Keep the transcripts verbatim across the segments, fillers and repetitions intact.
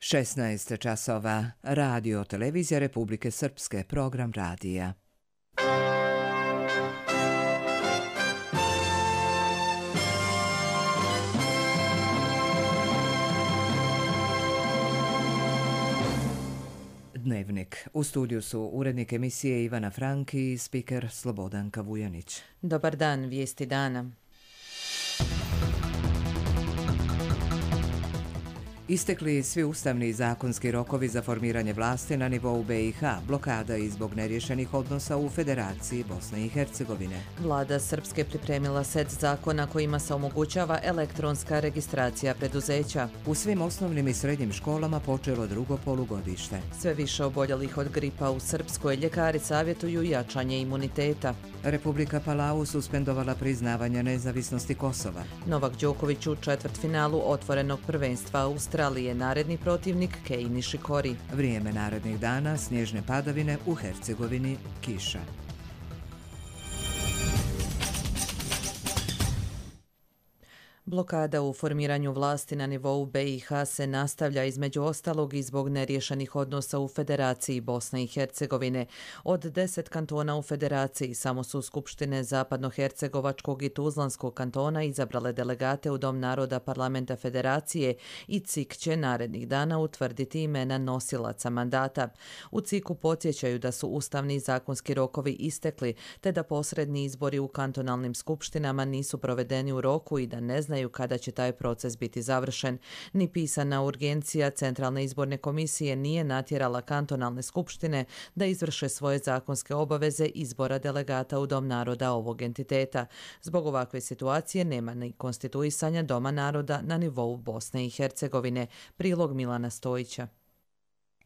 šesnaest časova. Radio Televizija Republike Srpske, program radija. Dnevnik. U studiju su urednik emisije Ivana Franki i spiker Slobodanka Vujanić. Dobar dan, vijesti dana. Istekli svi ustavni i zakonski rokovi za formiranje vlasti na nivou B i H, blokada i zbog neriješenih odnosa u Federaciji Bosne i Hercegovine. Vlada Srpske pripremila set zakona kojima se omogućava elektronska registracija preduzeća. U svim osnovnim i srednjim školama počelo drugo polugodište. Sve više oboljelih od gripa u Srpskoj, ljekari savjetuju jačanje imuniteta. Republika Palau suspendovala priznavanje nezavisnosti Kosova. Novak Đoković u četvrtfinalu otvorenog prvenstva Australije. Australije, naredni protivnik Kei Nishikori. Vrijeme narednih dana, snježne padavine, u Hercegovini kiša. Blokada u formiranju vlasti na nivou B i H se nastavlja između ostalog i zbog neriješenih odnosa u Federaciji Bosne i Hercegovine. Od deset kantona u Federaciji samo su skupštine Zapadnohercegovačkog i Tuzlanskog kantona izabrale delegate u Dom naroda Parlamenta Federacije i C I K će narednih dana utvrditi imena nosilaca mandata. U C I K-u podsjećaju da su ustavni i zakonski rokovi istekli, te da posredni izbori u kantonalnim skupštinama nisu provedeni u roku i da ne znaju kada će taj proces biti završen. Ni pisana urgencija Centralne izborne komisije nije natjerala kantonalne skupštine da izvrše svoje zakonske obaveze izbora delegata u Dom naroda ovog entiteta. Zbog ovakve situacije nema ni konstituisanja Doma naroda na nivou Bosne i Hercegovine. Prilog Milana Stojića.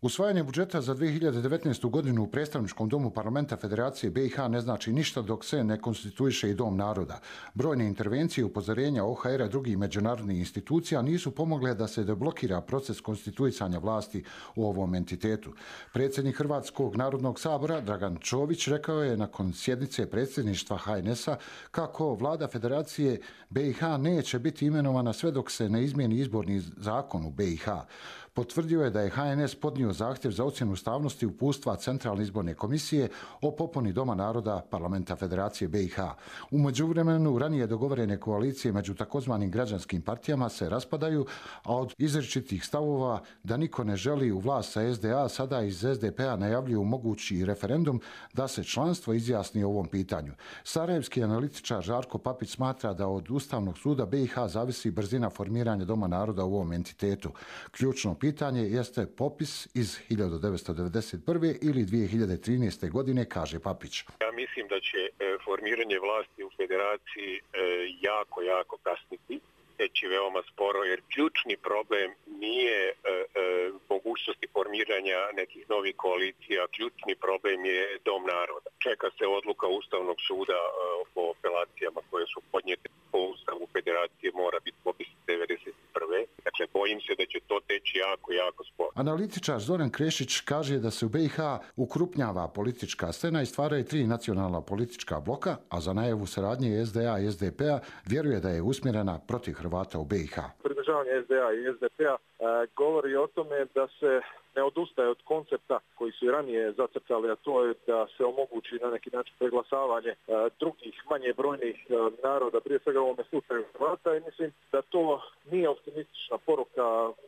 Usvajanje budžeta za dvije hiljade devetnaestu. godinu u predstavničkom domu Parlamenta Federacije B i H ne znači ništa dok se ne konstituiše i Dom naroda. Brojne intervencije i upozorenja O H R-a i drugih međunarodnih institucija nisu pomogle da se deblokira proces konstituisanja vlasti u ovom entitetu. Predsjednik Hrvatskog narodnog sabora Dragan Čović rekao je nakon sjednice predsjedništva H N S-a kako vlada Federacije B i H neće biti imenovana sve dok se ne izmijeni izborni zakon u B i H. Potvrdio je da je H N S podnio zahtjev za ocjenu ustavnosti uputstva Centralne izborne komisije o popuni Doma naroda Parlamenta Federacije B i H. U međuvremenu ranije dogovorene koalicije među takozvanim građanskim partijama se raspadaju, a od izričitih stavova da niko ne želi u vlast sa S D A sada iz S D P-a najavljuju mogući referendum da se članstvo izjasni o ovom pitanju. Sarajevski analitičar Žarko Papić smatra da od Ustavnog suda B i H zavisi brzina formiranja Doma naroda u ovom entitetu. Ključno pitanje jeste popis iz hiljadu devetsto devedeset prve. ili dvije hiljade trinaeste. godine, kaže Papić. Ja mislim da će formiranje vlasti u Federaciji jako, jako kasniti, teći veoma sporo, jer ključni problem nije e, e, mogućnosti formiranja nekih novih koalicija, ključni problem je Dom naroda. Čeka se odluka Ustavnog suda e, po apelacijama koje su podnijete po Ustavu Federacije, mora biti popis devedeset prve. Dakle, bojim se da će to teći jako, jako sporo. Analitičar Zoran Krešić kaže da se u B i H ukrupnjava politička scena i stvaraju tri nacionalna politička bloka, a za najavu saradnje S D A i S D P-a vjeruje da je usmjerena protiv Hrvata u B i H. Pridržavanje S D A i S D P-a e, govori o tome da se ne odustaje od koncepta koji su i ranije zacrtali, a to je da se omogući na neki način preglasavanje e, drugih manje brojnih e, naroda, prije svega u ovome slučaju Hrvata, i mislim da to nije optimistična poruka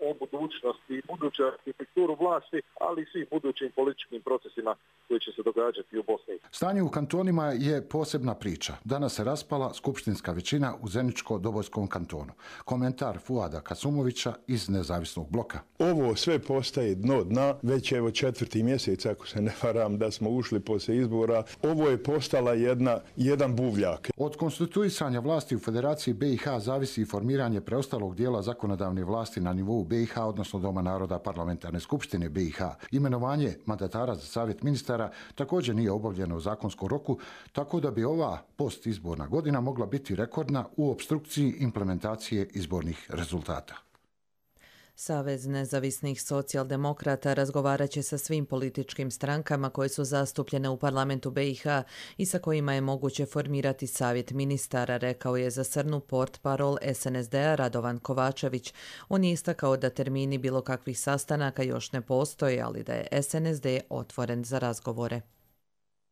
o budućnosti i budućoj arhitekturu vlasti, ali i svih budućim političkim procesima koji će se događati u Bosni. Stanje u kantonima je posebna priča. Danas se raspala skupštinska većina u Zeničko-Dobojskom kantonu. Komentar Fuada Kasumovića iz Nezavisnog bloka. Ovo sve postaje dno dna, već evo četvrti mjesec, ako se ne varam, da smo ušli poslije izbora. Ovo je postala jedna, jedan buvljak. Od konstituisanja vlasti u Federaciji B i H zavisi formiranje preostalog dijela zakonodavne vlasti na nivou B i H, odnosno Doma naroda Parlamentarne skupštine B i H. Imenovanje mandatara za savjet ministara također nije obavljeno u zakonskom roku, tako da bi ova postizborna godina mogla biti rekordna u opstrukciji implementacije izbornih rezultata. Savez nezavisnih socijaldemokrata razgovarat će sa svim političkim strankama koje su zastupljene u parlamentu B i H i sa kojima je moguće formirati savjet ministara, rekao je za Srnu portparol S N S D-a Radovan Kovačević. On je istakao da termini bilo kakvih sastanaka još ne postoje, ali da je S N S D otvoren za razgovore.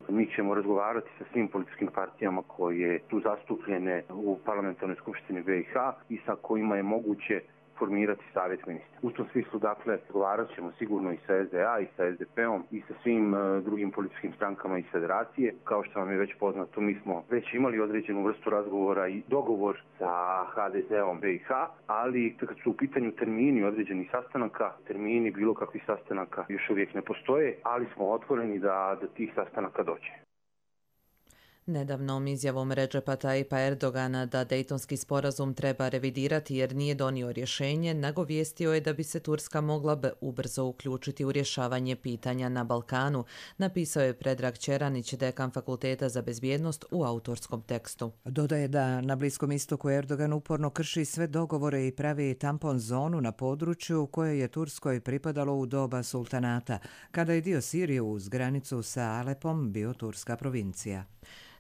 Mi ćemo razgovarati sa svim političkim partijama koje su zastupljene u parlamentarnoj skupštini B i H i sa kojima je moguće formirati savjet ministra. U tom smislu, dakle, razgovarat ćemo sigurno i sa S D A i sa S D P-om i sa svim uh, drugim političkim strankama iz federacije. Kao što vam je već poznato, mi smo već imali određenu vrstu razgovora i dogovor sa H D Z-om B i H, ali kad su u pitanju termini određenih sastanaka, termini bilo kakvih sastanaka još uvijek ne postoje, ali smo otvoreni da do tih sastanaka dođe. Nedavnom izjavom Redžepa Tayyipa Erdogana da Dejtonski sporazum treba revidirati jer nije donio rješenje, nagovijestio je da bi se Turska mogla ubrzo uključiti u rješavanje pitanja na Balkanu, napisao je Predrag Čeranić, dekan Fakulteta za bezbjednost, u autorskom tekstu. Dodaje da na Bliskom istoku Erdogan uporno krši sve dogovore i pravi tampon zonu na području koje je Turskoj pripadalo u doba sultanata, kada je dio Sirije uz granicu sa Alepom bio turska provincija.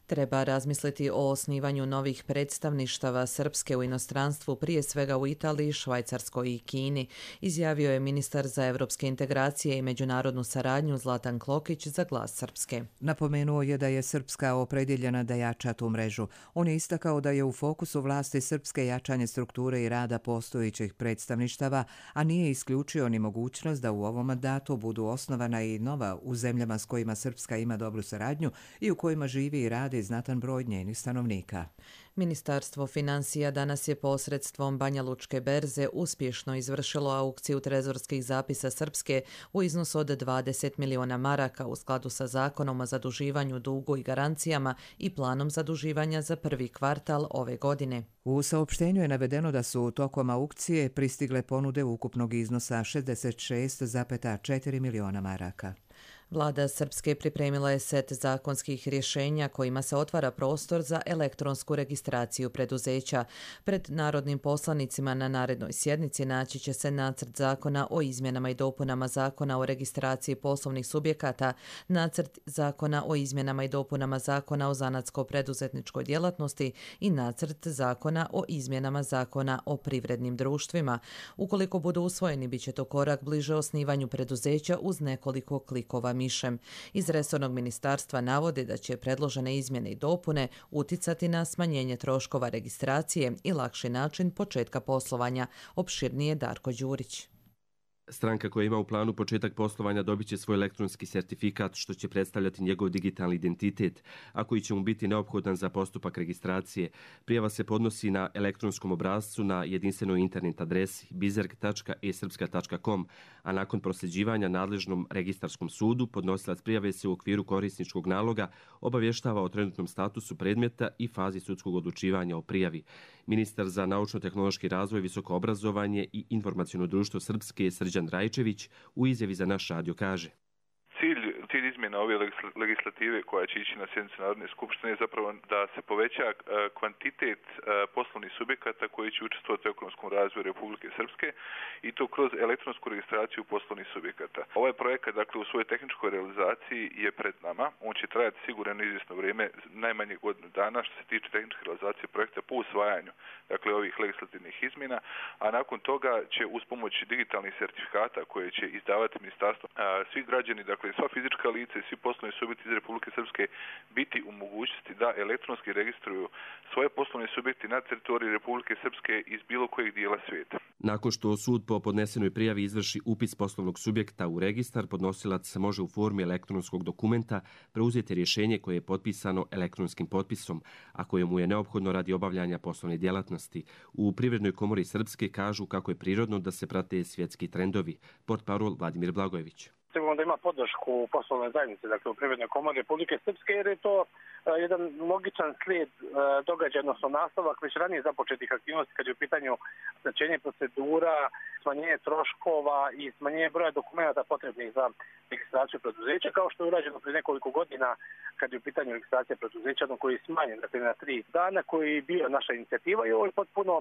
Treba razmisliti o osnivanju novih predstavništava Srpske u inostranstvu, prije svega u Italiji, Švajcarskoj i Kini, izjavio je ministar za evropske integracije i međunarodnu saradnju Zlatan Klokić za Glas Srpske. Napomenuo je da je Srpska opredjeljena da jača tu mrežu. On je istakao da je u fokusu vlasti Srpske jačanje strukture i rada postojećih predstavništava, a nije isključio ni mogućnost da u ovom mandatu budu osnovana i nova u zemljama s kojima Srpska ima dobru saradnju i u kojima živi i radi znatan broj njenih stanovnika. Ministarstvo financija danas je posredstvom Banja Lučke berze uspješno izvršilo aukciju trezorskih zapisa Srpske u iznosu od dvadeset miliona maraka u skladu sa zakonom o zaduživanju, dugu i garancijama i planom zaduživanja za prvi kvartal ove godine. U saopštenju je navedeno da su tokom aukcije pristigle ponude ukupnog iznosa šezdeset šest zarez četiri miliona maraka. Vlada Srpske pripremila je set zakonskih rješenja kojima se otvara prostor za elektronsku registraciju preduzeća. Pred narodnim poslanicima na narednoj sjednici naći će se nacrt zakona o izmjenama i dopunama zakona o registraciji poslovnih subjekata, nacrt zakona o izmjenama i dopunama zakona o zanatsko-preduzetničkoj djelatnosti i nacrt zakona o izmjenama zakona o privrednim društvima. Ukoliko budu usvojeni, bit će to korak bliže osnivanju preduzeća uz nekoliko klikova mišem. Iz resornog ministarstva navode da će predložene izmjene i dopune uticati na smanjenje troškova registracije i lakši način početka poslovanja, opširnije Darko Đurić. Stranka koja ima u planu početak poslovanja dobit će svoj elektronski sertifikat, što će predstavljati njegov digitalni identitet, a koji će mu biti neophodan za postupak registracije. Prijava se podnosi na elektronskom obrascu na jedinstvenoj internet adresi bizerg tačka e srpska tačka com, a nakon prosljeđivanja nadležnom registarskom sudu podnosilac prijave se u okviru korisničkog naloga obavještava o trenutnom statusu predmeta i fazi sudskog odlučivanja o prijavi. Ministar za naučno-tehnološki razvoj, visoko obrazovanje i informaciono društvo Srpske Srđan Rajčević u izjavi za naš radio kaže: Cilj, cilj izmjena ove legislative koja će ići na sjednicu Narodne skupštine je zapravo da se poveća kvantitet poslovnih subjekata koji će učestvovati u ekonomskom razvoju Republike Srpske i to kroz elektronsku registraciju poslovnih subjekata. Ovaj projekat, dakle, u svojoj tehničkoj realizaciji je pred nama. On će trajati sigurno izvjesno vrijeme, najmanje godinu dana što se tiče tehničke realizacije projekta po usvajanju, dakle, ovih legislativnih izmjena, a nakon toga će uz pomoć digitalnih sertifikata koje će izdavati ministarstvo, svi građani, dakle, sva fizička lica i svi poslovni subjekti iz Republike Srpske biti u mogućnosti da elektronski registruju svoje poslovne subjekte na teritoriji Republike Srpske iz bilo kojeg dijela svijeta. Nakon što sud po podnesenoj prijavi izvrši upis poslovnog subjekta u registar, podnosilac može u formi elektronskog dokumenta preuzeti rješenje koje je potpisano elektronskim potpisom, a koje mu je neophodno radi obavljanja poslovne djelatnosti. U Privrednoj komori Srpske kažu kako je prirodno da se prate svjetski trendovi. Portparol Vladimir Blagojević. Sigurno da ima podršku poslovne zajednice, dakle u Privrednoj komori Republike Srpske, jer je to jedan logičan slijed događaja, odnosno nastavak već ranije započetih aktivnosti kad je u pitanju skraćenje procedura, smanjenje troškova i smanjenje broja dokumenata potrebnih za registraciju preduzeća, kao što je urađeno prije nekoliko godina kad je u pitanju registracija preduzeća, no koji je smanjen dakle, na tri dana, koji je bio naša inicijativa i ovo je potpuno,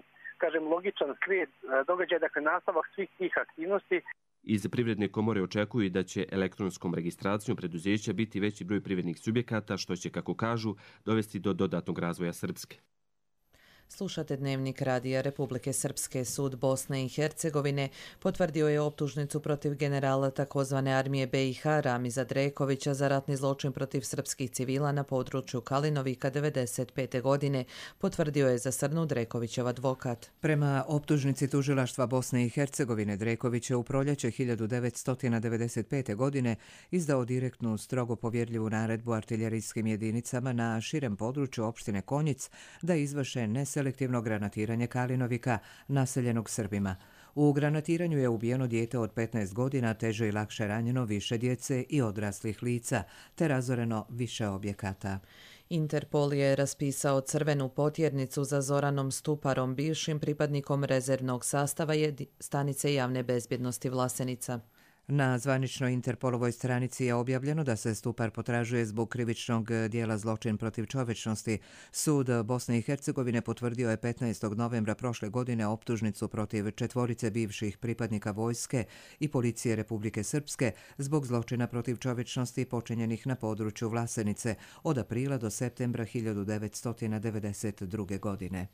kažem, logičan slijed događaja, dakle nastavak svih tih aktivnosti. Iz Privredne komore očekuju da će elektronskom registracijom preduzeća biti veći broj privrednih subjekata, što će, kako kažu, dovesti do dodatnog razvoja Srpske. Slušate Dnevnik Radija Republike Srpske. Sud Bosne i Hercegovine potvrdio je optužnicu protiv generala takozvane armije be i ha Ramiza Drekovića za ratni zločin protiv srpskih civila na području Kalinovika devedeset pete. godine, potvrdio je za Srnu Drekovićev advokat. Prema optužnici tužilaštva Bosne i Hercegovine, Dreković je u proljeće hiljadu devetsto devedeset pete. godine izdao direktnu, strogo povjerljivu naredbu artiljerijskim jedinicama na širem području opštine Konjic da izvrše neselektivno selektivno granatiranje Kalinovika, naseljenog Srbima. U granatiranju je ubijeno dijete od petnaest godina, teže i lakše ranjeno više djece i odraslih lica, te razoreno više objekata. Interpol je raspisao crvenu potjernicu za Zoranom Stuparom, bivšim pripadnikom rezervnog sastava stanice javne bezbjednosti Vlasenica. Na zvaničnoj Interpolovoj stranici je objavljeno da se Stupar potražuje zbog krivičnog dijela zločin protiv čovječnosti. Sud Bosne i Hercegovine potvrdio je petnaestog novembra prošle godine optužnicu protiv četvorice bivših pripadnika vojske i policije Republike Srpske zbog zločina protiv čovječnosti počinjenih na području Vlasenice od aprila do septembra hiljadu devetsto devedeset druge. godine.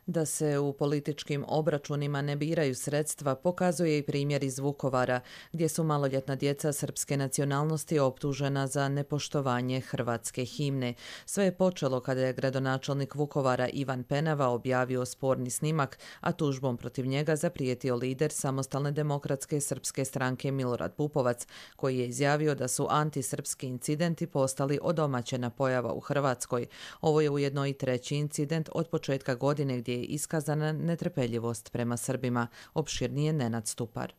Da se u političkim obračunima ne biraju sredstva pokazuje i primjer iz Vukovara, gdje su maloljetna djeca srpske nacionalnosti optužena za nepoštovanje hrvatske himne. Sve je počelo kada je gradonačelnik Vukovara Ivan Penava objavio sporni snimak, a tužbom protiv njega zaprijetio lider Samostalne demokratske srpske stranke Milorad Pupovac, koji je izjavio da su antisrpski incidenti postali odomaćena pojava u Hrvatskoj. Ovo je ujedno i treći incident od početka godine gdje je iskazana netrpeljivost prema Srbima, opširnije Nenad Stupar.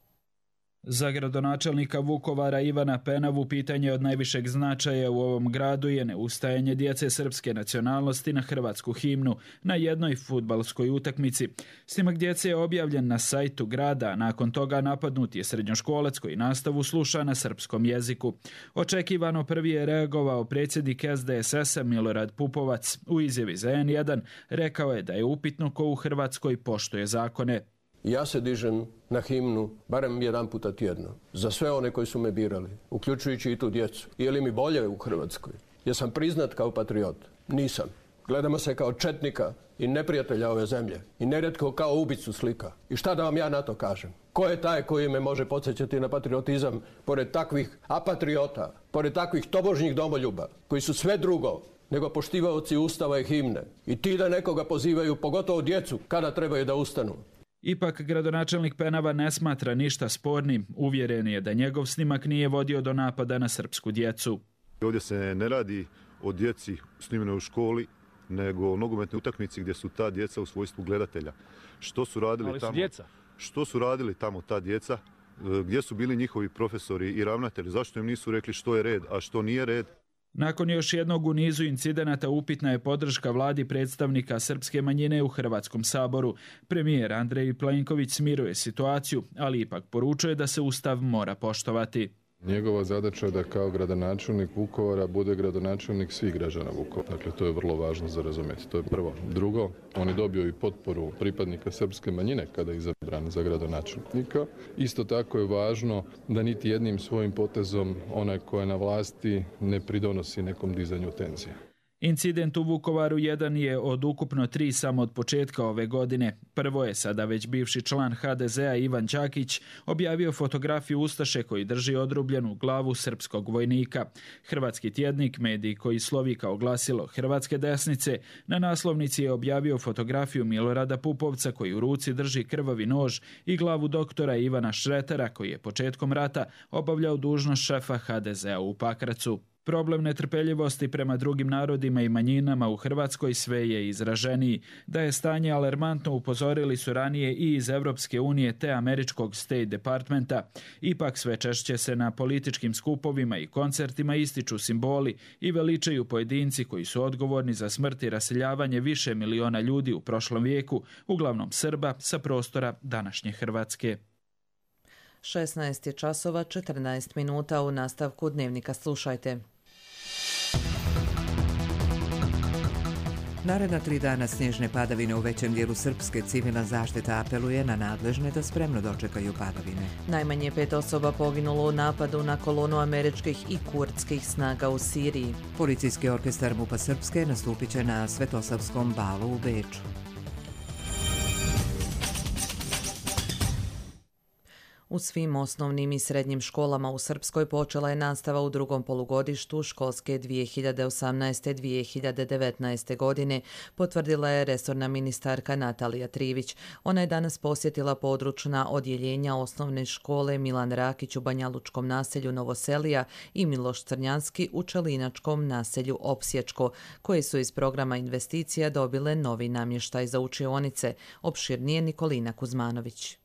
Za gradonačelnika Vukovara Ivana Penavu pitanje od najvišeg značaja u ovom gradu je neustajanje djece srpske nacionalnosti na hrvatsku himnu na jednoj fudbalskoj utakmici. Snimak djece je objavljen na sajtu grada, a nakon toga napadnut je srednjoškolac koji nastavu sluša na srpskom jeziku. Očekivano prvi je reagovao predsjednik es de es es a Milorad Pupovac. U izjavi za en jedan rekao je da je upitno ko u Hrvatskoj poštuje zakone. Ja se dižem na himnu barem jedan puta tjedno za sve one koji su me birali, uključujući i tu djecu. Je li mi bolje u Hrvatskoj? Jesam priznat kao patriot? Nisam. Gledamo se kao četnika i neprijatelja ove zemlje i nerijetko kao ubicu slika. I šta da vam ja na to kažem? Ko je taj koji me može podsjećati na patriotizam pored takvih apatriota, pored takvih tobožnjih domoljuba koji su sve drugo nego poštivaoci Ustava i himne i ti da nekoga pozivaju, pogotovo djecu, kada trebaju da ustanu? Ipak gradonačelnik Penava ne smatra ništa spornim. Uvjeren je da njegov snimak nije vodio do napada na srpsku djecu. Ovdje se ne radi o djeci snimljene u školi, nego o nogometnoj utakmici gdje su ta djeca u svojstvu gledatelja. Što su radili Ali su tamo? Djeca. Što su radili tamo ta djeca? Gdje su bili njihovi profesori i ravnatelji? Zašto im nisu rekli što je red, a što nije red? Nakon još jednog u nizu incidenata upitna je podrška vladi predstavnika srpske manjine u Hrvatskom saboru. Premijer Andrej Plenković smiruje situaciju, ali ipak poručuje da se Ustav mora poštovati. Njegova zadaća je da kao gradonačelnik Vukovara bude gradonačelnik svih građana Vukovara. Dakle, to je vrlo važno za razumjeti. To je prvo. Drugo, on je dobio i potporu pripadnika srpske manjine kada je izabran za gradonačelnika. Isto tako je važno da niti jednim svojim potezom onaj ko je na vlasti ne pridonosi nekom dizanju tenzija. Incident u Vukovaru jedan je od ukupno tri samo od početka ove godine. Prvo je sada već bivši član ha de ze a Ivan Đakić objavio fotografiju ustaše koji drži odrubljenu glavu srpskog vojnika. Hrvatski tjednik, medij koji slovi kao glasilo Hrvatske desnice, na naslovnici je objavio fotografiju Milorada Pupovca koji u ruci drži krvavi nož i glavu doktora Ivana Šretera koji je početkom rata obavljao dužnost šefa ha de ze a u Pakracu. Problem netrpeljivosti prema drugim narodima i manjinama u Hrvatskoj sve je izraženiji. Da je stanje alarmantno upozorili su ranije i iz Evropske unije te američkog State Departmenta. Ipak sve češće se na političkim skupovima i koncertima ističu simboli i veličaju pojedinci koji su odgovorni za smrt i raseljavanje više miliona ljudi u prošlom vijeku, uglavnom Srba sa prostora današnje Hrvatske. šesnaest je časova četrnaest minuta. U nastavku dnevnika slušajte. Naredna tri dana snježne padavine u većem dijelu Srpske. Civilna zaštita apeluje na nadležne da spremno dočekaju padavine. Najmanje pet osoba poginulo u napadu na kolonu američkih i kurdskih snaga u Siriji. Policijski orkestar MUP-a Srpske nastupit će na Svetosavskom balu u Beču. U svim osnovnim i srednjim školama u Srpskoj počela je nastava u drugom polugodištu školske dvije hiljade osamnaeste dvije hiljade devetnaeste. godine, potvrdila je resorna ministarka Natalija Trivić. Ona je danas posjetila područna odjeljenja osnovne škole Milan Rakić u Banjalučkom naselju Novoselija i Miloš Crnjanski u Čelinačkom naselju Opsječko, koje su iz programa investicija dobile novi namještaj za učionice. Opširnije Nikolina Kuzmanović.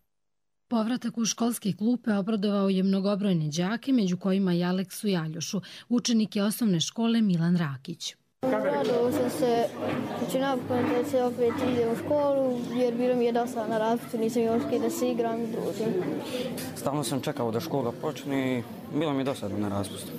Povratak u školske klupe obradovao je mnogobrojne đake, među kojima i Aleksu Jaljošu, učenike osnovne škole Milan Rakić. Radovao sam se, znači napokon da se opet ide u školu, jer bilo mi je dosta na raspustu, nisam imao s kim da se igram i družim. Stalno sam čekao da škola počne i bilo mi je dosadno na raspustu.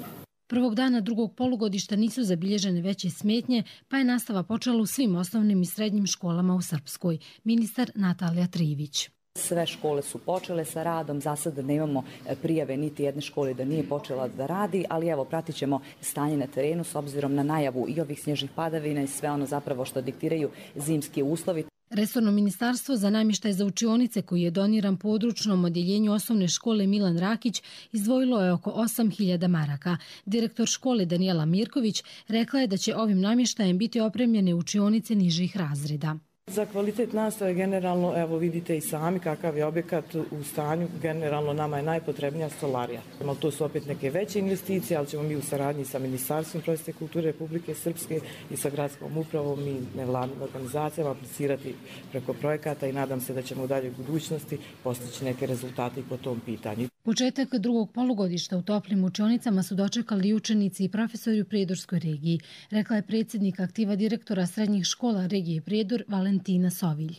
Prvog dana drugog polugodišta nisu zabilježene veće smetnje, pa je nastava počela u svim osnovnim i srednjim školama u Srpskoj. Ministar Natalija Trivić. Sve škole su počele sa radom, za sada nemamo prijave niti jedne škole da nije počela da radi, ali evo pratit ćemo stanje na terenu s obzirom na najavu i ovih snježnih padavina i sve ono zapravo što diktiraju zimski uslovi. Resorno ministarstvo za namještaj za učionice koji je doniran područnom odjeljenju osnovne škole Milan Rakić izdvojilo je oko osam hiljada maraka. Direktor škole Danijela Mirković rekla je da će ovim namještajem biti opremljene učionice nižih razreda. Za kvalitet nastave generalno, evo vidite i sami kakav je objekat u stanju, generalno nama je najpotrebnija stolarija. To su opet neke veće investicije, ali ćemo mi u saradnji sa Ministarstvom prosvjete i kulture Republike Srpske i sa gradskom upravom i nevladnim organizacijama aplicirati preko projekata i nadam se da ćemo u daljoj budućnosti postići neke rezultate po tom pitanju. Početak drugog polugodišta u toplim učionicama su dočekali učenici i profesori u Prijedorskoj regiji, rekla je predsjednik aktiva direktora srednjih škola regije Prijedor Valentina Sovilj.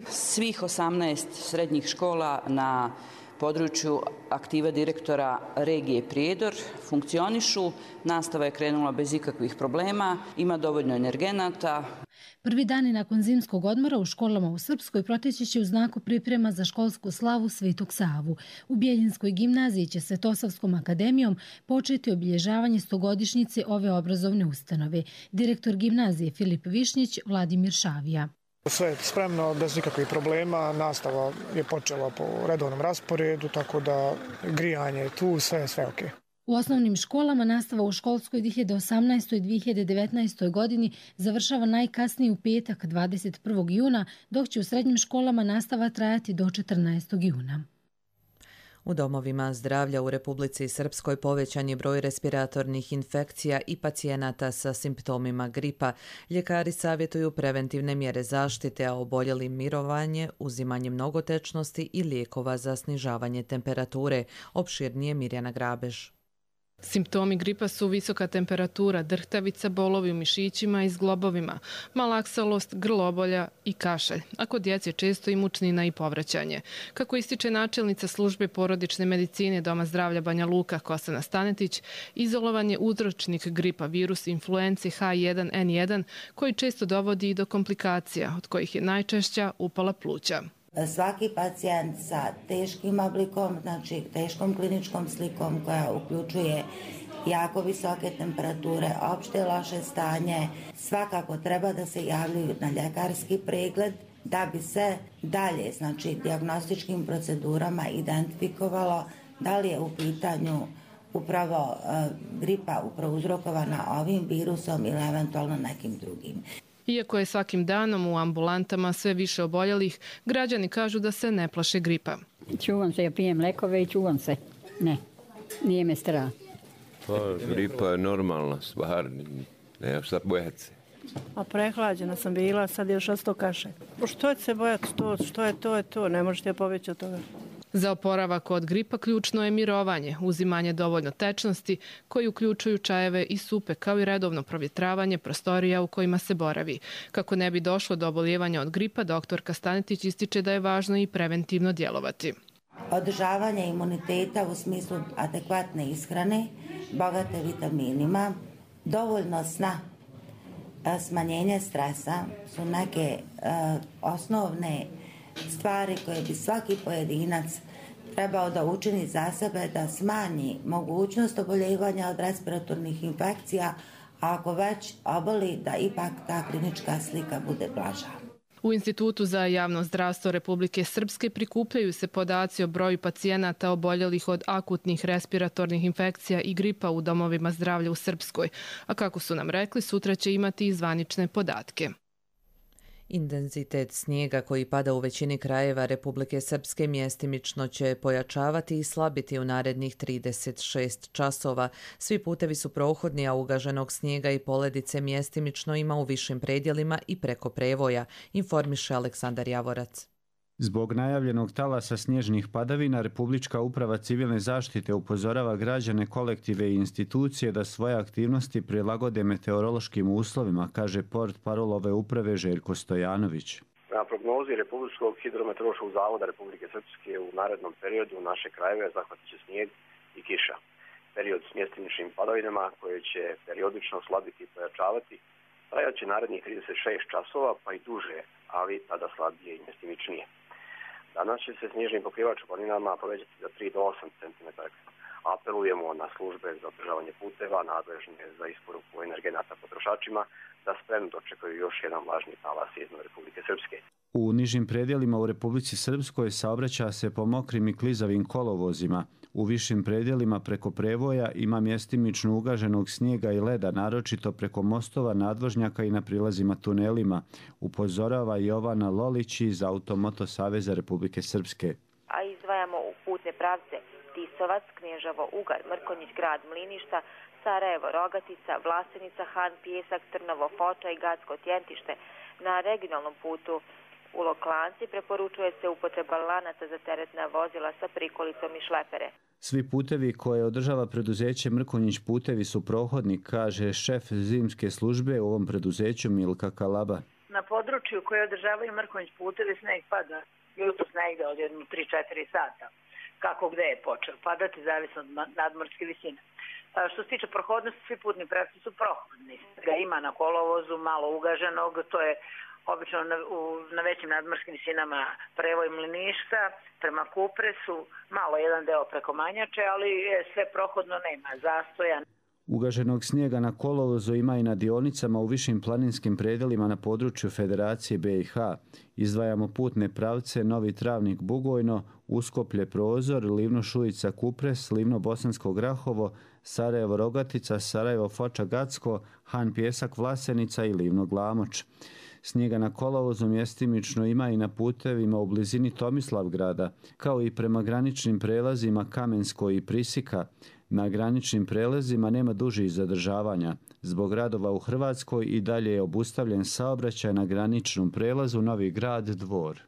Svih osamnaest srednjih škola na području aktiva direktora regije Prijedor funkcionišu, nastava je krenula bez ikakvih problema, ima dovoljno energenata. Prvi dani nakon zimskog odmora u školama u Srpskoj proteći će u znaku priprema za školsku slavu Svetog Savu. U Bjeljinskoj gimnaziji će Svetosavskom akademijom početi obilježavanje stogodišnjice ove obrazovne ustanove. Direktor gimnazije Filip Višnjić, Vladimir Šavija. Sve je spremno, bez nikakvih problema, nastava je počela po redovnom rasporedu, tako da grijanje je tu, sve je sve ok. U osnovnim školama nastava u školskoj dvije hiljade osamnaestoj dvije hiljade devetnaestoj. godini završava najkasnije u petak dvadeset prvog juna, dok će u srednjim školama nastava trajati do četrnaestog juna. U domovima zdravlja u Republici Srpskoj povećan je broj respiratornih infekcija i pacijenata sa simptomima gripa. Ljekari savjetuju preventivne mjere zaštite, a oboljeli mirovanje, uzimanje mnogotečnosti i lijekova za snižavanje temperature. Opširnije Mirjana Grabež. Simptomi gripa su visoka temperatura, drhtavica, bolovi u mišićima i zglobovima, malaksalost, grlobolja i kašalj, a kod djece često i mučnina i povraćanje. Kako ističe načelnica službe porodične medicine Doma zdravlja Banja Luka Kosana Stanetić, izolovan je uzročnik gripa virus influence H jedan N jedan koji često dovodi i do komplikacija, od kojih je najčešća upala pluća. Svaki pacijent sa teškim oblikom, znači teškom kliničkom slikom koja uključuje jako visoke temperature, opšte loše stanje, svakako treba da se javljaju na ljekarski pregled da bi se dalje, znači dijagnostičkim procedurama identifikovalo da li je u pitanju upravo uh, gripa upravo uzrokovana ovim virusom ili eventualno nekim drugim. Iako je svakim danom u ambulantama sve više oboljelih, građani kažu da se ne plaše gripa. Čuvam se, ja pijem lekove i čuvam se. Ne, nije me strah. Pa gripa je normalna stvar, nema šta bojati se. A prehlađena sam bila, sad je još osto kaše. Što će se bojati to, što je to, je to, ne možete pobeći od toga. Za oporavak od gripa ključno je mirovanje, uzimanje dovoljno tečnosti koji uključuju čajeve i supe, kao i redovno provjetravanje prostorija u kojima se boravi. Kako ne bi došlo do oboljevanja od gripa, doktorka Stanetić ističe da je važno i preventivno djelovati. Održavanje imuniteta u smislu adekvatne ishrane, bogate vitaminima, dovoljno sna, smanjenje stresa su neke uh, osnovne stvari koje bi svaki pojedinac trebao da učini za sebe, da smanji mogućnost oboljevanja od respiratornih infekcija, a ako već oboli, da ipak ta klinička slika bude blaža. U Institutu za javno zdravstvo Republike Srpske prikupljaju se podaci o broju pacijenata oboljelih od akutnih respiratornih infekcija i gripa u domovima zdravlja u Srpskoj, a kako su nam rekli, sutra će imati i zvanične podatke. Intenzitet snijega koji pada u većini krajeva Republike Srpske mjestimično će pojačavati i slabiti u narednih trideset šest časova. Svi putevi su prohodni, a ugaženog snijega i poledice mjestimično ima u višim predjelima i preko prevoja, informiše Aleksandar Javorac. Zbog najavljenog talasa snježnih padavina, Republička uprava civilne zaštite upozorava građane, kolektive i institucije da svoje aktivnosti prilagode meteorološkim uslovima, kaže portparol ove uprave Željko Stojanović. Na prognozi Republičkog hidrometeorološkog zavoda Republike Srpske u narednom periodu naše krajeve zahvatit će snijeg i kiša. Period s mjestimičnim padavinama koje će periodično slabiti i pojačavati trajat će narednih trideset šest časova pa i duže, ali tada slabije i mjestimičnije. Danas će se snježni pokrivač u planinama povećati za tri do osam centimetara. Apelujemo na službe za održavanje puteva, nadležne za isporuku energenata potrošačima, da spremno dočekaju još jedan vlažni talas iznad Republike Srpske. U nižim predjelima u Republici Srpskoj saobraća se po mokrim i klizavim kolovozima. U višim predjelima preko prevoja ima mjestimično ugaženog snijega i leda, naročito preko mostova, nadvožnjaka i na prilazima tunelima, upozorava Jovana Lolić iz Automoto Saveza Republike Srpske. A izdvajamo u putne pravce Tisovac, Knježevo, Ugar, Mrkonjić, Grad, Mliništa, Sarajevo, Rogatica, Vlasenica, Han, Pijesak, Trnovo, Foča i Gacko, Tjentište. Na regionalnom putu u Loklanci preporučuje se upotreba lanaca za teretna vozila sa prikolicom i šlepere. Svi putevi koje održava preduzeće Mrkonjić putevi su prohodni, kaže šef zimske službe u ovom preduzeću Milka Kalaba. Na području koje održavaju Mrkonjić putevi sneg pada jutros negde od jedno tri do četiri sata. Kako gde je počeo padati, zavisno od nadmorske visine. Što se tiče prohodnosti, svi putni pravci su prohodni. Ga ima na kolovozu, malo ugaženog, to je obično na, u, na većim nadmorskim visinama prevoj Mliništa, prema Kupresu, malo jedan deo preko Manjače, ali je sve prohodno, nema zastoja. Ugaženog snijega na kolovozu ima i na dionicama u višim planinskim predelima na području Federacije B i H. Izdvajamo putne pravce Novi Travnik Bugojno, Uskoplje Prozor, Livno Šujica Kupres, Livno Bosansko Grahovo, Sarajevo Rogatica, Sarajevo Foča Gacko, Han Pjesak Vlasenica i Livno Glamoč. Snijega na kolovozu mjestimično ima i na putevima u blizini Tomislavgrada, kao i prema graničnim prelazima Kamensko i Prisika. Na graničnim prelazima nema dužih zadržavanja. Zbog radova u Hrvatskoj i dalje je obustavljen saobraćaj na graničnom prelazu Novi Grad Dvor.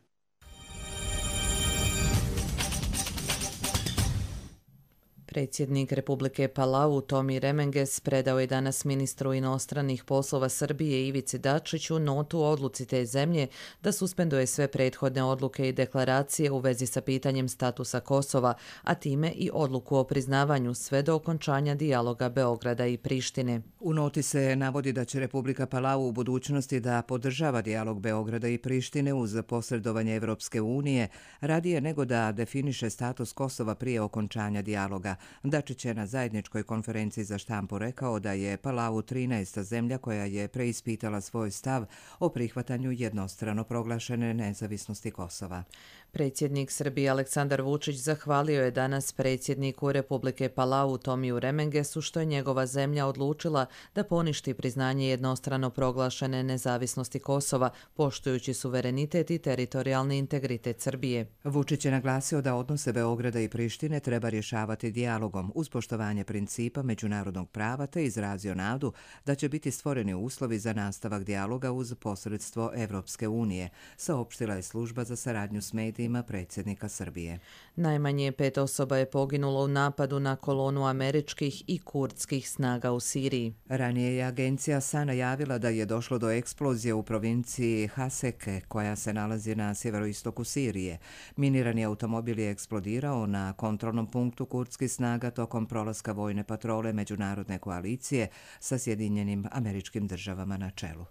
Predsjednik Republike Palau Tomi Remenges predao je danas ministru inostranih poslova Srbije Ivici Dačiću notu o odluci te zemlje da suspenduje sve prethodne odluke i deklaracije u vezi sa pitanjem statusa Kosova, a time i odluku o priznavanju sve do okončanja dijaloga Beograda i Prištine. U noti se navodi da će Republika Palau u budućnosti da podržava dijalog Beograda i Prištine uz posredovanje Evropske unije radije nego da definiše status Kosova prije okončanja dijaloga. Dačić je na zajedničkoj konferenciji za štampu rekao da je Palau trinaesta zemlja koja je preispitala svoj stav o prihvatanju jednostrano proglašene nezavisnosti Kosova. Predsjednik Srbije Aleksandar Vučić zahvalio je danas predsjedniku Republike Palau Tomiju Remengesu što je njegova zemlja odlučila da poništi priznanje jednostrano proglašene nezavisnosti Kosova, poštujući suverenitet i teritorijalni integritet Srbije. Vučić je naglasio da odnose Beograda i Prištine treba rješavati dijalogom dijalogom uz poštovanje principa međunarodnog prava te izrazio nadu da će biti stvoreni uslovi za nastavak dijaloga uz posredstvo Evropske unije, saopštila je služba za saradnju s medijima predsjednika Srbije. Najmanje pet osoba je poginulo u napadu na kolonu američkih i kurdskih snaga u Siriji. Ranije je agencija Sana javila da je došlo do eksplozije u provinciji Haseke, koja se nalazi na sjeveroistoku Sirije. Minirani automobil je eksplodirao na kontrolnom punktu kurdskih snaga tokom prolaska vojne patrole međunarodne koalicije sa Sjedinjenim Američkim Državama na čelu.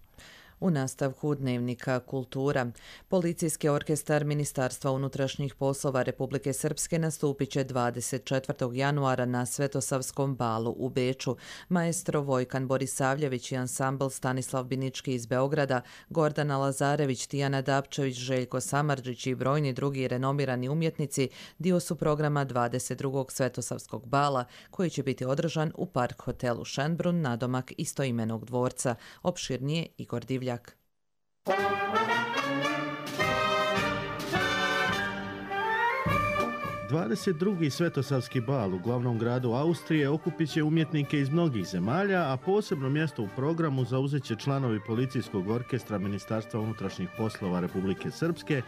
U nastavku dnevnika Kultura, policijski orkestar Ministarstva unutrašnjih poslova Republike Srpske nastupit će dvadeset četvrtog januara na Svetosavskom balu u Beču. Maestro Vojkan Borisavljević i ansambl Stanislav Binički iz Beograda, Gordana Lazarević, Tijana Dapčević, Željko Samardžić i brojni drugi renomirani umjetnici dio su programa dvadeset drugog Svetosavskog bala, koji će biti održan u Park hotelu Šenbrun, nadomak istoimenog dvorca. Opširnije Igor Divljak. dvadeset drugi Svetosavski bal u glavnom gradu Austrije okupit će umjetnike iz mnogih zemalja, a posebno mjesto u programu zauzet će članovi policijskog orkestra Ministarstva unutrašnjih poslova Republike Srpske,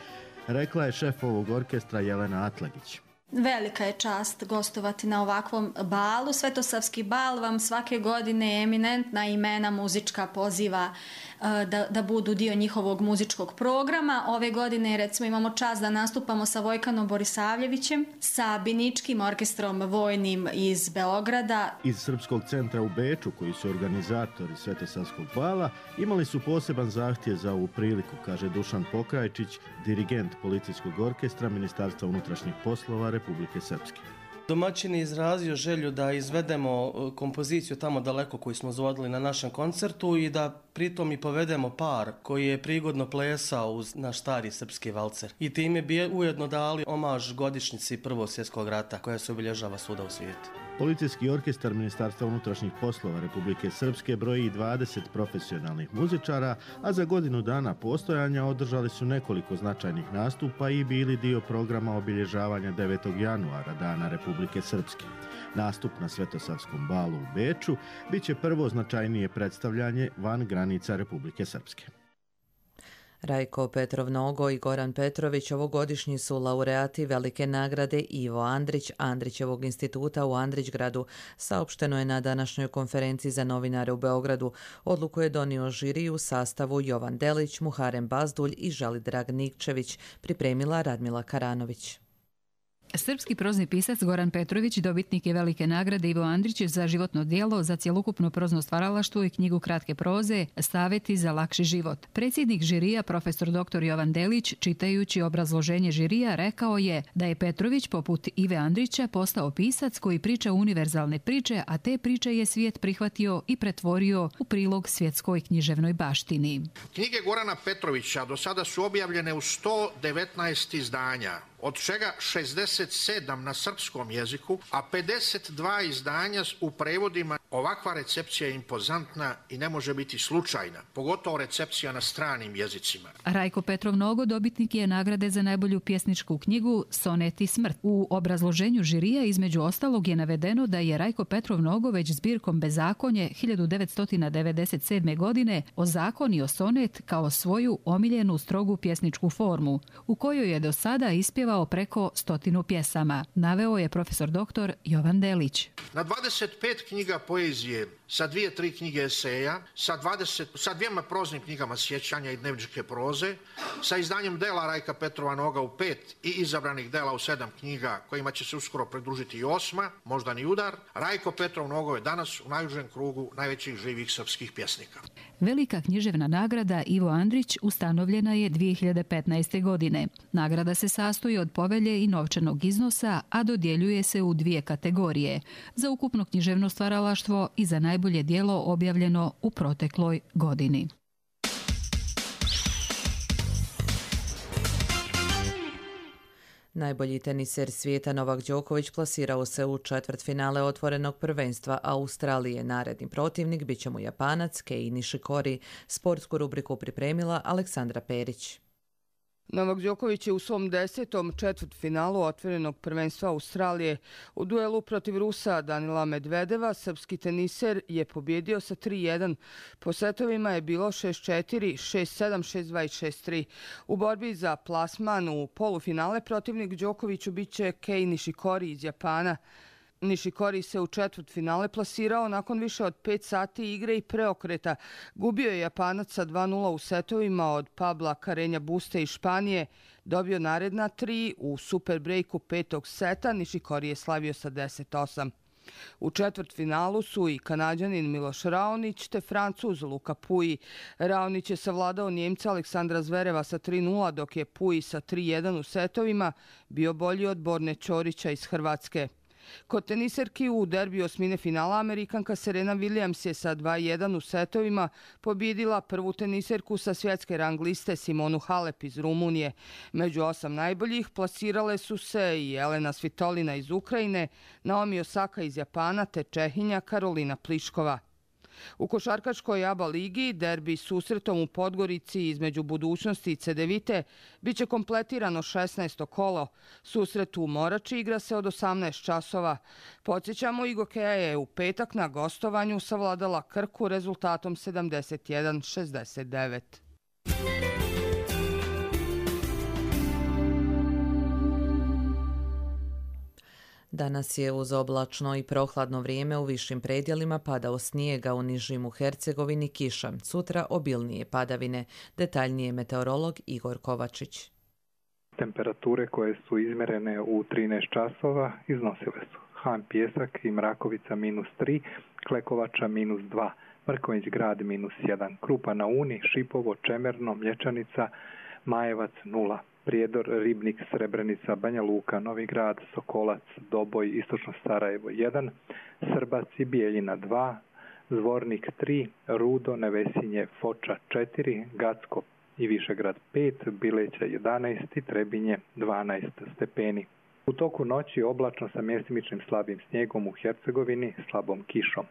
rekla je šef ovog orkestra Jelena Atlagić. Velika je čast gostovati na ovakvom balu. Svetosavski bal vam svake godine eminentna imena muzička poziva da, da budu dio njihovog muzičkog programa. Ove godine recimo imamo čast da nastupamo sa Vojkanom Borisavljevićem, sa Biničkim orkestrom vojnim iz Beograda. Iz Srpskog centra u Beču, koji su organizatori Svetosavskog bala, imali su poseban zahtjev za ovu priliku, kaže Dušan Pokrajčić, dirigent policijskog orkestra Ministarstva unutrašnjih poslova Republike Srpske. Domaćin je izrazio želju da izvedemo kompoziciju tamo daleko koju smo izvodili na našem koncertu i da pritom i povedemo par koji je prigodno plesao uz naš stari srpski valcer. I time bi ujedno dali omaž godišnjici Prvog svjetskog rata koja se obilježava svuda u svijetu. Policijski orkestar Ministarstva unutrašnjih poslova Republike Srpske broji dvadeset profesionalnih muzičara, a za godinu dana postojanja održali su nekoliko značajnih nastupa i bili dio programa obilježavanja devetog januara, Dana Republike Srpske. Nastup na Svetosavskom balu u Beču bit će prvo značajnije predstavljanje van granica Republike Srpske. Rajko Petrov Nogo i Goran Petrović ovogodišnji su laureati velike nagrade Ivo Andrić Andrićevog instituta u Andrićgradu, saopšteno je na današnjoj konferenciji za novinare u Beogradu. Odluku je donio žiri u sastavu Jovan Delić, Muharem Bazdulj i Žalidrag Nikčević, pripremila Radmila Karanović. Srpski prozni pisac Goran Petrović dobitnik je velike nagrade Ivo Andrić za životno djelo za cjelokupno prozno stvaralaštvo i knjigu kratke proze Savjeti za lakši život. Predsjednik žirija, profesor doktor Jovan Delić, čitajući obrazloženje žirija, rekao je da je Petrović poput Ive Andrića postao pisac koji priča univerzalne priče, a te priče je svijet prihvatio i pretvorio u prilog svjetskoj književnoj baštini. Knjige Gorana Petrovića do sada su objavljene u sto devetnaest izdanja, od čega šezdeset sedam na srpskom jeziku, a pedeset dva izdanja u prevodima. Ovakva recepcija je impozantna i ne može biti slučajna, pogotovo recepcija na stranim jezicima. Rajko Petrov Nogo dobitnik je nagrade za najbolju pjesničku knjigu Sonet i smrt. U obrazloženju žirija između ostalog je navedeno da je Rajko Petrov Nogo već zbirkom Bezakonje hiljadu devetsto devedeset sedme. godine ozakonio sonet kao svoju omiljenu strogu pjesničku formu, u kojoj je do sada ispjevao preko stotinu pjesama, naveo je profesor doktor Jovan Delić. Na dvadeset pet knjiga poezije, sa dvije, tri knjige eseja, sa, dvadeset, sa dvijema proznim knjigama sjećanja i dnevničke proze, sa izdanjem dela Rajka Petrova Noga u pet i izabranih dela u sedam knjiga, kojima će se uskoro pridružiti i osma, Moždani udar, Rajko Petrov Nogo je danas u najužem krugu najvećih živih srpskih pjesnika. Velika književna nagrada Ivo Andrić ustanovljena je dvije hiljade petnaeste. godine. Nagrada se sastoji od povelje i novčanog iznosa, a dodjeljuje se u dvije kategorije, za ukupno književno stvaralaštvo i za najbolje djelo objavljeno u protekloj godini. Najbolji teniser svijeta Novak Đoković plasirao se u četvrtfinale otvorenog prvenstva Australije. Naredni protivnik bit će mu Japanac Kei Nishikori. Sportsku rubriku pripremila Aleksandra Perić. Novak Đoković je u svom desetom četvrtfinalu otvorenog prvenstva Australije u duelu protiv Rusa Danila Medvedeva. Srpski teniser je pobjedio sa tri jedan. Po setovima je bilo šest četiri, šest sedam, šest dva i šest tri. U borbi za plasman u polufinale protivnik Đokoviću biće Kei Nishikori iz Japana. Nishikori se u četvrtfinale plasirao nakon više od pet sati igre i preokreta. Gubio je Japanac sa dva nula u setovima od Pabla Carreña Buste iz Španije. Dobio naredna tri u super breaku petog seta. Nishikori je slavio sa deset osam. U četvrtfinalu su i Kanađanin Miloš Raonić te Francuz Luka Pouille. Raonić je savladao Njemca Aleksandra Zvereva sa tri nula, dok je Pouille sa tri jedan u setovima bio bolji od Borne Ćorića iz Hrvatske. Kod teniserki u derbiju osmine finala Amerikanka Serena Williams je sa dva jedan u setovima pobjedila prvu teniserku sa svjetske rang liste Simonu Halep iz Rumunije. Među osam najboljih plasirale su se i Elena Svitolina iz Ukrajine, Naomi Osaka iz Japana te Čehinja Karolina Pliškova. U košarkaškoj A B A ligi derbi susretom u Podgorici između Budućnosti i Cedevite biće kompletirano šesnaesto kolo. Susret u Morači igra se od osamnaest časova. Podsjećamo, Igokeja je u petak na gostovanju savladala Krku rezultatom sedamdeset jedan šezdeset devet. Danas je uz oblačno i prohladno vrijeme u višim predjelima padao snijega, u nižim u Hercegovini kiša. Sutra obilnije padavine. Detaljnije meteorolog Igor Kovačić. Temperature koje su izmjerene u trinaest časova iznosile su Han Pijesak i Mrakovica minus tri, Klekovača minus dva, Mrkonjić Grad minus jedan, Krupa na Uni, Šipovo, Čemerno, Mlječanica, Majevac nula. Prijedor, Ribnik, Srebrenica, Banja Luka, Novi Grad, Sokolac, Doboj, Istočno Sarajevo jedan, Srbac i Bijeljina dva, Zvornik tri, Rudo, Nevesinje, Foča četiri, Gacko i Višegrad pet, Bileća jedanaest i Trebinje dvanaest stepeni. U toku noći oblačno sa mjestimičnim slabim snijegom u Hercegovini, slabom kišom.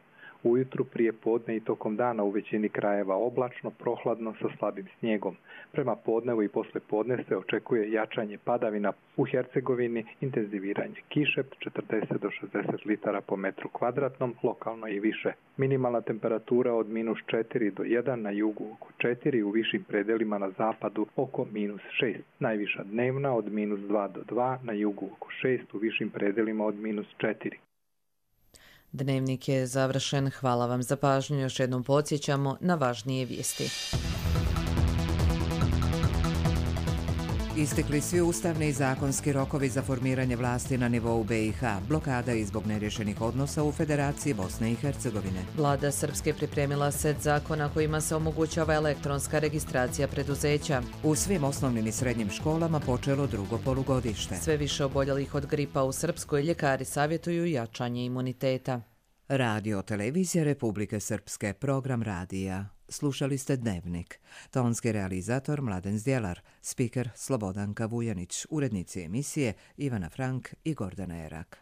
Ujutru, prije podne i tokom dana u većini krajeva oblačno, prohladno sa slabim snijegom. Prema podnevu i posle podne se očekuje jačanje padavina u Hercegovini, intenziviranje kiše četrdeset do šezdeset litara po metru kvadratnom, lokalno i više. Minimalna temperatura od minus četiri do jedan, na jugu oko četiri, u višim predelima na zapadu oko minus šest. Najviša dnevna od minus dva do dva, na jugu oko šest, u višim predelima od minus četiri. Dnevnik je završen. Hvala vam za pažnju. Još jednom podsjećamo na važnije vijesti. Istekli svi ustavni i zakonski rokovi za formiranje vlasti na nivou B i H. Blokada je zbog nerješenih odnosa u Federaciji Bosne i Hercegovine. Vlada Srpske pripremila set zakona kojima se omogućava elektronska registracija preduzeća. U svim osnovnim i srednjim školama počelo drugo polugodište. Sve više oboljelih od gripa u Srpskoj, ljekari savjetuju jačanje imuniteta. Radio televizija Republike Srpske, program radija. Slušali ste Dnevnik. Tonski realizator Mladen Zdjelar, spiker Slobodanka Vujanić, urednici emisije Ivana Frank i Gordana Erak.